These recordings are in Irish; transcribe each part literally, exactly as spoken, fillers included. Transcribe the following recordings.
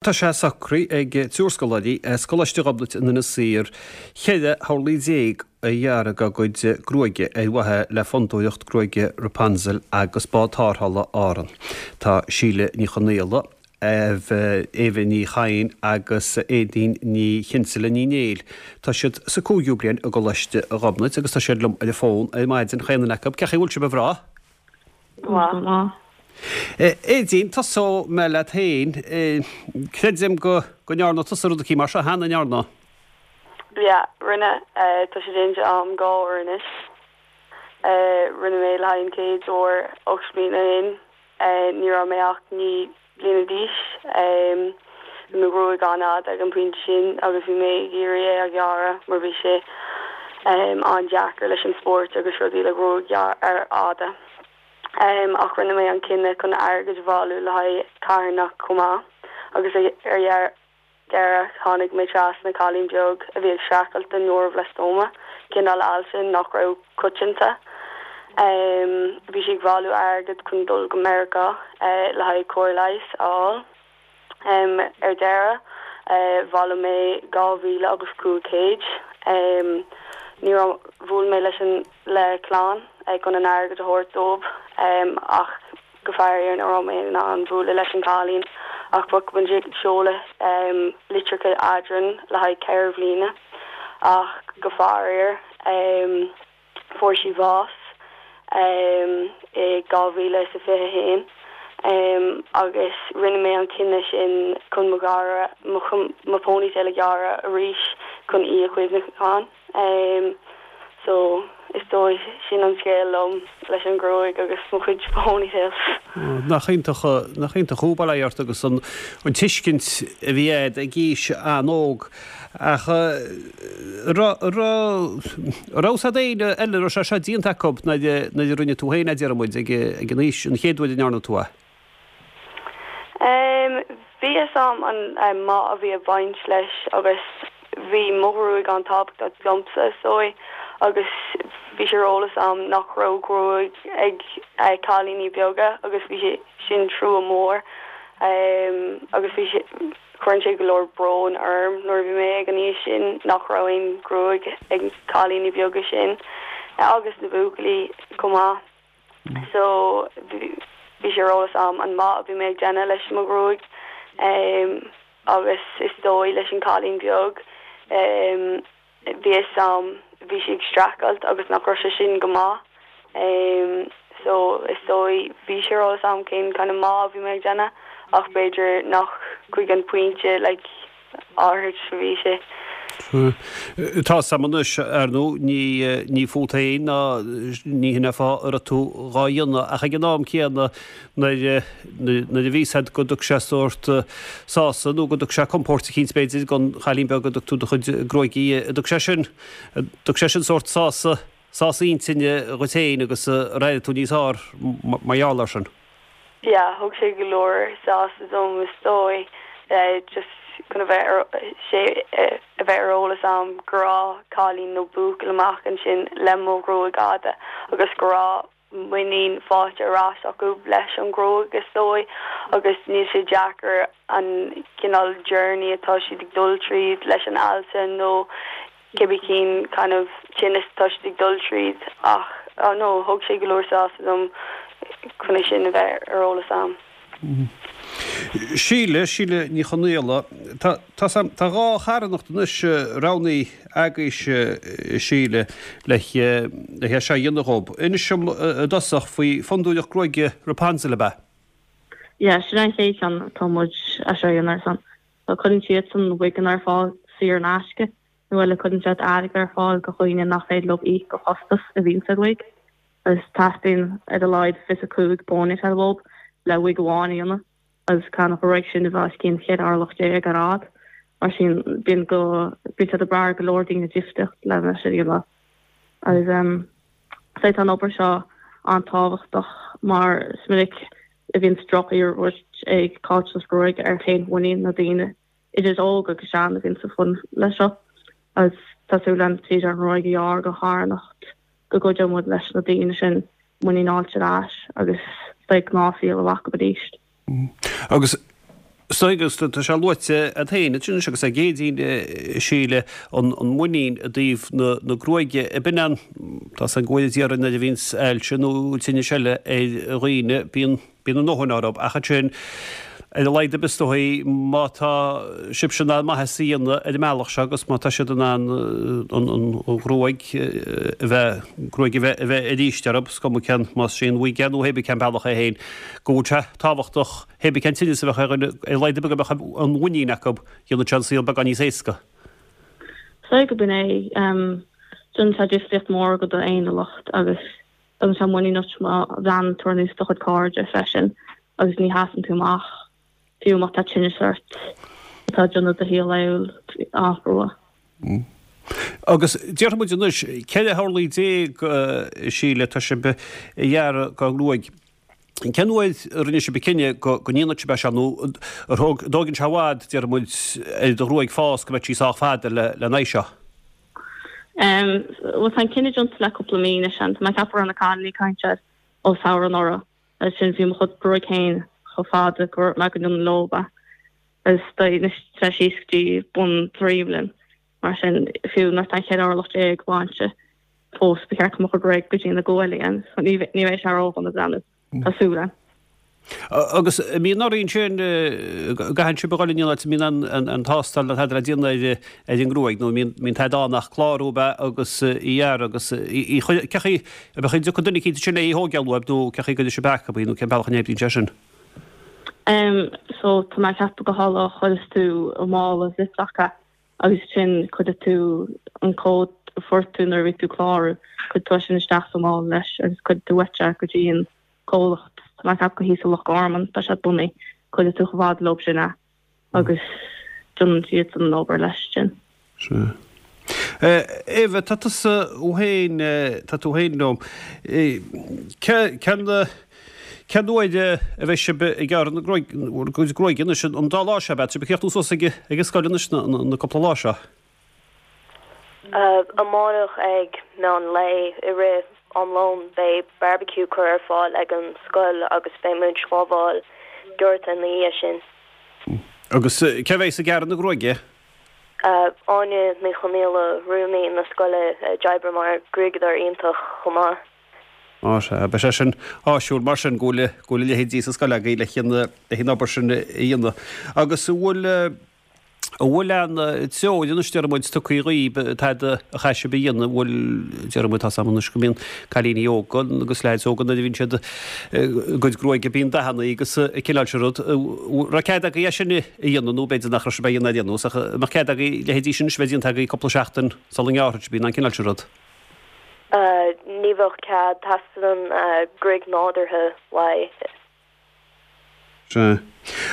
Tá sé socraithe ag triúr scoláirí as Coláiste Ghobnait in Inis Oírr ceithre horlaí déag a ghearradh dá gcuid gruaige ar mhaithe le Fondúireacht Gruaige Rapunzel agus Bád Tarrthála Árann. Tá Síle Ní Chonaola, Éabha Ní Chadhain agus Aedín Ní Chinnsealaigh Ní Néill. Tá siad sa cúigiú bliain i gColáiste Ghobnait agus tá siad liom ar an bhfón ar maidin chaon duine acu. Cén chaoi a bhfuil sibh a mhná? Go maith. Aedín, tosóidh mé leat féin. Creidim go go ndearna tusa rud eicínt mar seo cheana, an ndearna? Yeah, rinne. Tá sé déanta agam dhá uair anois. Rinne mé le haghaidh an chéad uair ocht mbliana ó shin. Ní raibh mé ach naoi bliana d'aois. Bhí mo ghruaig an-fhada ag an bpointe sin agus bhí mé ag iarraidh é a ghearradh mar bhí sé an-deacair leis an spórt agus rudaí le gruaig fhada. Ach rinne mé an cinneadh chun airgead a bhailiú le haghaidh carthanacht chomh maith agus ar deireadh tháinig mé trasna cailín beag a bhí ag streachailt le neuroblastoma, cineál ailse nach raibh coitianta. Bhí sí ag bailiú airgead chun dul go Meiriceá le haghaidh cóir leighis a fháil. Ar deireadh, bhailigh mé dhá mhíle agus cúig chéad. Ní raibh, bhuail mé leis an le clann chun an airgead a thabhairt dóibh ach go faraor ní raibh mé in ann bualadh leis an cailín ach bhí muid ag seoladh litreacha eadrainn le haghaidh ceithre bhliana ach go faraor fuair sí bás i dhá mhíle is a fiche a haon agus rinne mé an cinneadh sin chun mo ghearradh mo ponytail a ghearradh arís chun í a chuimhneachán. So is dóigh sin an scéal liom leis an ghruaig agus mo chuid ponytails. Nach iontach, nach iontach thú, bail ó Dhia ort agus an an tuiscint a bhí a'd ag aois an-óg. Ach raibh, raibh, raibh 's a'd éinne eile a raibh sé seo déanta acu nuair a nuair a rinne tú féin é, déarfaidh muid, ag ag an aois, an chéad uair a ndearna tú é? Bhí fhios a'm an maith a bhí ag baint leis agus bhí mo ghruaig an-tábhachtach domsa is dóigh agus bhí sé ar eolas a'm nach raibh gruaig ag cailíní beaga agus bhí sé sin trua mór agus bhí sé cuireann sé go leor brón orm nuair a bhí mé ag an aois sin nach raibh aon gruaig ag cailíní beaga sin agus na buachaillí chomh maith. So bhí sé ar eolas a'm an maith a bhí mé ag déanamh leis mo ghruaig agus is dóigh leis an cailín beag bhí fhios a'm bhí sí ag streachailt agus nach raibh sé sin go maith so is dóigh bhí sé ar eolas a'm cén kind of maith a bhí mé ag déanamh ach b'fhéidir nach chuig an pointe like áirid a bhí sé. Tá 's a'm anois, ar ndóigh, ní ní fút féin ná ní hin an fáth a raibh tú dhá dhéanamh ach ag an am céanna nuair nuair a bhí 's a'd go dtug sé sórt sásamh nó go dtug sé compóirt eicínt b'fhéidir don chailín beag go dtug tú do chuid gruaige di, dtug sé sin dtug sé sin sórt sásamh sásamh intinne dhuit féin agus ar éirigh tú níos fearr mar gheall air sin. Yeah, thug sé go leor sásamh dom is dóigh just chun a bheith ar sé a bheith ar eolas a'm go raibh cailín nó buachaill amach ansin le mo ghruaig fhada agus go raibh muinín faighte ar ais acu leis an ghruaig is dóigh agus níl sé deacair an cineál journey atá siad ag dul tríd leis an ailse nó cibé cén kind of tinneas atá siad ag dul tríd ach oh no thug sé go leor sásamh dom chun é sin a bheith ar eolas a'm. Síle, Síle Ní Chonaola, tá tá tá dhá charthanacht anois roghnaithe agaibhse Síle le le é seo a dhéanamh dhób. Inis dom i dtosach faoi Fondúireacht Gruaige Rapunzel ab ea? Yeah, sin an chéad cheann atá muid é seo a dhéanamh ar son. Tá cuireann siadsan wiganna ar fáil saor in aisce nó eile cuireann siad airgead ar fáil do dhaoine nach féidir leo íoc go costas a bhíonn sa wig. Agus teastaíonn ar a laghad fiche cúig ponytail uathu le wig amháin a dhéanamh agus caithfidh an ruig sin a bheith os cionn cheithre orlach déag ar fhad. Mar sin bíonn go bíonn siad ag brath ar go leor daoine difríocht lena sin a dhéanamh. Agus um, tá an obair seo an-tábhachtach mar is minic a bhíonn drochiarmhairt ag caillteanas gruaige ar fhéinmhuinín na daoine idir óg agus sean a bhíonn sa fun leis seo. Agus tá súil againn tríd an ngruaig a ghearradh do charthanacht go gcuideoidh muid leis na daoine sin muinín a fháilt ar ais agus beidh gnáthshaol a bheith acu arís. Agus Is dóigh agus tá sé luaite agat féin ansin anois agus ag Aedín, a Shíle, an muinín i dtaobh na gruaige. Ab in an, tá 's agam go bhfuil déarfainn nuair a bhíonns ailse nó tinneas eile ar dhaoine, bíonn, bíonn a ndóthain orthu ach ansin ar a laghad ar bith is dóigh má tá sibhse in ann maitheas a dhéanamh ar an mbealach seo agus má tá siad in ann an ghruaig a bheith, gruaig a bheith, a bheith arís orthu, is cuma cén, más é an wig é nó hébí cén bealach é féin, go bhfuil sé tábhachtach hébí cén tinneas a bheadh ar dhuine, ar a laghad ar bith go mbeadh an mhuinín acu, dhéanfadh sé an saol beagán níos éasca. Is dóigh gurb in é. Déanann sé difríocht mhór do d'fhéiniúlacht agus tugann sé muinín duit má bhreathnaíonn tú ar nós do chuid cairde freisin agus ní sheasann tú amach fiú má tá tinneas ort atá ag déanamh do shaol laethúil an-chrua. Agus déarfaidh muid anois, ceithre horlaí déag, a Shíle, atá sibh a ghearradh de ghruaig. Cén uair a rinne sibh an cinneadh go ndéanfadh sibh é seo nó ar thóg, an dtógann sé i bhfad, déarfaidh muid, ar do ghruaig fás go mbeidh sí sách fada le lena aghaidh seo? Bhuel, tá an cinneadh déanta le cúpla mí anois. Tá mé ag ceapadh go raibh na cailíní ag caint air ó samhradh anuraidh. Agus sin bhí mo chuid gruaig féin chomh fada go raibh mé go ndéanfainn leo é. Agus anois tá sé síos go dtí bun droim linn. Mar sin, fiú nuair atá an cheithre orlach déag bainte, fós ba cheart go mbeadh mo chuid gruaig go dtí na guaillí. So ní bheidh sé ródhona breathnú. Tá súil agam. Agus an mbíonn oraibh ansin, an gcaitheann sibh a dhul in aon áit, an mbíonn an tástáil nó tada le déanamh ar an ngruaig nó an mbíonn tada ann ach clárú ab ea agus í a ghearradh agus í a chur, cé chaoi, an dtiocfaidh duine eicínt ansin le í a thógáil uaibh nó cé chaoi a gcuirfidh sibh acu í nó cén bealach a n-oibríonn sé sin? Em, so tá mé ag ceapadh go tharla chuireas tú i mála Ziploc é agus sin cuirfidh tú an cód a fuair tú nuair a bhí tú ag clárú, cuirfidh tú é sin isteach sa mála leis agus cuirfidh tú uait é go dtí an comhlacht, tá mé ag ceapadh gur thíos i Loch Garman tá siad bunaithe, cuirfidh tú chomh fada leo sin é agus déanann siad an obair leis sin. Sea. Eva, tá tusa féin, tá tú féin liom. Cén, cén uair a bheidh sibh ag gearradh na gruaige, bhur gcuid gruaige anois, an dá lá seo, beidh sibh ag críochnú suas ag an scoil anois na cúpla lá seo? Amárach ag meán lae i rith am lóin beidh barbecue curtha ar fáil ag an scoil agus beidh muid ag sábháil gearrtha ina dhiaidh sin. Agus cé a bheas ag gearradh na gruaige? Áine Ní Chonaola, rúnaí na scoile, a d'oibrigh mar ghruaigeadóir iontach chomh maith. Á sea, beidh sé sin áisiúil mar sin go bhfuil go bhfuil a leithéidí sa scoil agaibh le an obair sin a dhéanamh. Agus an bhfuil An bhfuil aon treoir anois, déarfaidh muid, tugtha dhaoib, tada a chaithfidh sibh a dhéanamh, an bhfuil, déarfaidh muid, tá's agam anois go mbíonn cailíní óga agus leaids óga nuair a bhíonn siad a gcuid gruaige bíonn dathanna agus an cineál sin rud, an raibh cead agaibh é sin a dhéanamh nó b'fhéidir nach raibh sibh á dhéanamh ar aon nós ach an mbeadh cead agaibh leithéidí sin anois a bheith déanta agaibh cúpla seachtain sula ngearrfaidh sibh í nó an cineál sin rud? Ní bheadh cead, teastaíonn gruaig nádúrtha uaidh. Sea.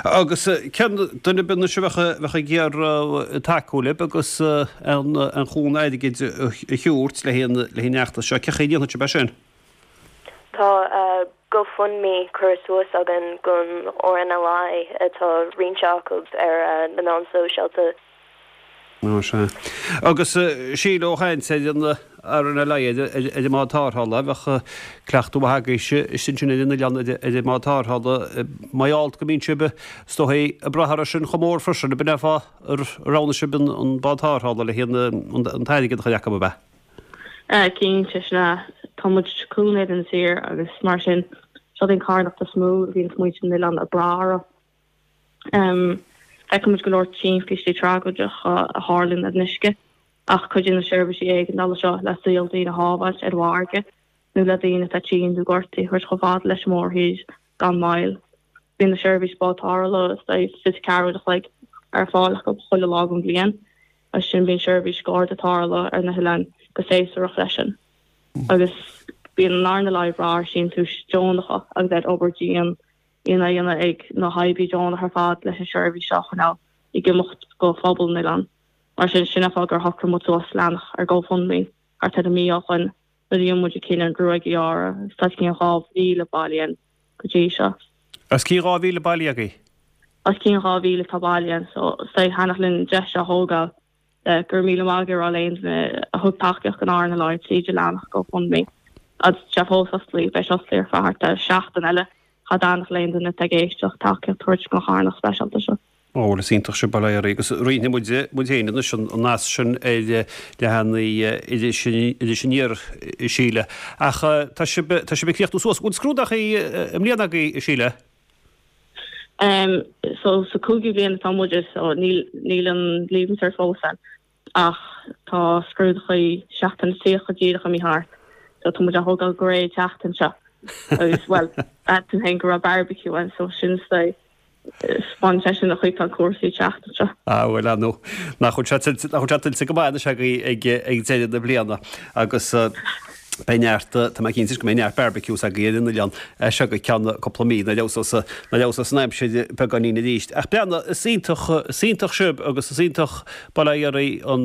Agus cén duine ar bith anois a bheadh ag iarraidh tacú libh agus an cúnamh airgid a thabhairt le haghaidh an fheachtais seo, cé chaoi a ndéanfadh sibh é sin? Tá GoFundMe curtha suas againn don RNLI atá roinnte acu ar na meáin sóisialta. Ó sea. Agus Síle, ó chaint ar an RNLI, ar an mbád tarrthála, bheadh cleachtadh maith agaibhse istigh ansin ar an oileán ar an mbád tarrthála. Mar gheall go mbíonn sibh, is dóigh, ag brath orthu sin chomh mór freisin, ab in é an fáth ar roghnaigh sibh an bád tarrthála le haghaidh an t-airgead a chur acu, ab ea? Cinnte, sin é. Tá muid cúnamh ar an tír agus mar sin, seo an carthanacht is mó a bhíonn muintir an oileáin ag brath orthu. Feiceann muid go leor timpistí tragóideacha a tharlaíonn ar an uisce, ach cuidíonn na seirbhísí éigeandála seo le saol daoine a shábháilt ar an bhfarraige nó le daoine atá tinn nó gortaithe a thabhairt chomh fada leis an mórthír gan mhoill. Bíonn na seirbhísí bád tarrthála fiche ceathair uair a chloig ar fáil acu chuile lá den bhliain, agus sin bíonn seirbhís garda tarrthála ar na hoileáin go séasúrach freisin. Agus bíonn an RNLI ag brath ar síntiúis deonacha agus ar obair dian arna dhéanamh ag na hoibrithe deonacha ar fad leis an seirbhís seo a choinneáil ag imeacht go phobal an oileáin. Mar sin, sin an fáth gur shocraigh muid suas leathanach ar GoFundMe thart ar mhí ó shoin nuair a dhein muid an cinneadh an ghruaig a ghearradh agus tá os cionn dhá mhíle bailithe againn go dtí seo. Os cionn dhá mhíle bailithe agaibh? Os cionn dhá mhíle atá bailithe againn so is dóigh thaitneodh linn an deis seo a thógáil le go raibh míle maith agat a rá le aon duine a thug tacaíocht don RNLI tríd an leathanach GoFundMe agus tá sé fós oscailte, beidh sé oscailte ar feadh thart ar seachtain eile. Cha dtaitneodh le aon duine atá ag éisteacht tacaíocht a thabhairt don charthanacht speisialta seo. Ó, bhuel, is iontach sibh, bail ó Dhia oraibh, agus roinnfidh muid, muid féin anois an nasc sin ar leathanaigh Iris, Iris Aniar, a Shíle. Ach tá sibh, tá sibh ag críochnú suas. Bhfuil scrúdachaí i mbliana agaibh, a Shíle? Um, so sa cúigiú bliain atá muid so níl, níl an Leaving Cert fós ann ach tá scrúdachaí seachtain tríocha díreach imithe thart. So tá muid á thógáil go réidh seachtain seo. Agus well, tú féin go raibh barbecue ann so sin fan sé sin a chuid tá cúrsaí seachtain seo. Ah bhuel nó nach bhfuil sé nach bhfuil sé tuillte go maith anois agaibh ag ag deireadh na bliana agus beidh neart tá mé cinnte go mbeidh neart barbecues agaibh ar an oileán seo go ceann cúpla mí nuair a fheabhsós nuair a fheabhsós an aimsir beagáinín arís. Ach breathnaigh is iontach is iontach sibh agus is iontach bail ó Dhia oraibh an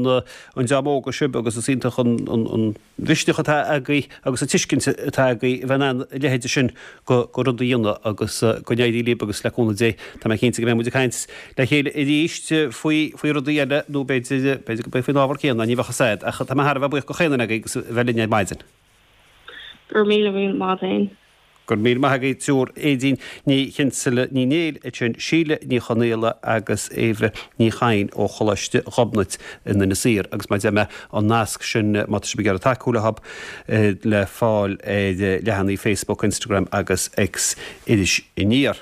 an dream óga sibh agus is iontach an an an mhisneach atá agaibh agus an tuiscint atá agaibh a bheith in ann a leithéide sin de rud a dhéanamh agus go n-éirí libh agus le cúnamh Dé tá mé cinnte go mbeidh muid ag caint le chéile arís faoi faoi rudaí eile nó b'fhéidir b'fhéidir go mbeidh faoin ábhar céanna ní bheadh a fhios a'd ach tá mé thar a bheith buíoch go chaon duine agaibh agus a bheith linn ar maidin. Go raibh míle míle maith agat. Go raibh míle maith agaibh triúr Aedín Ní Chinseala Ní Néill ansin Síle Ní Chonaola agus Éabha Ní Chadhain ó Choláiste Ghobnait in Inis Oírr agus mar a deir mé an nasc sin má tá sibh ag iarraidh tacú leo le fáil ar leathanaigh Facebook, Instagram agus X Iris Aniar.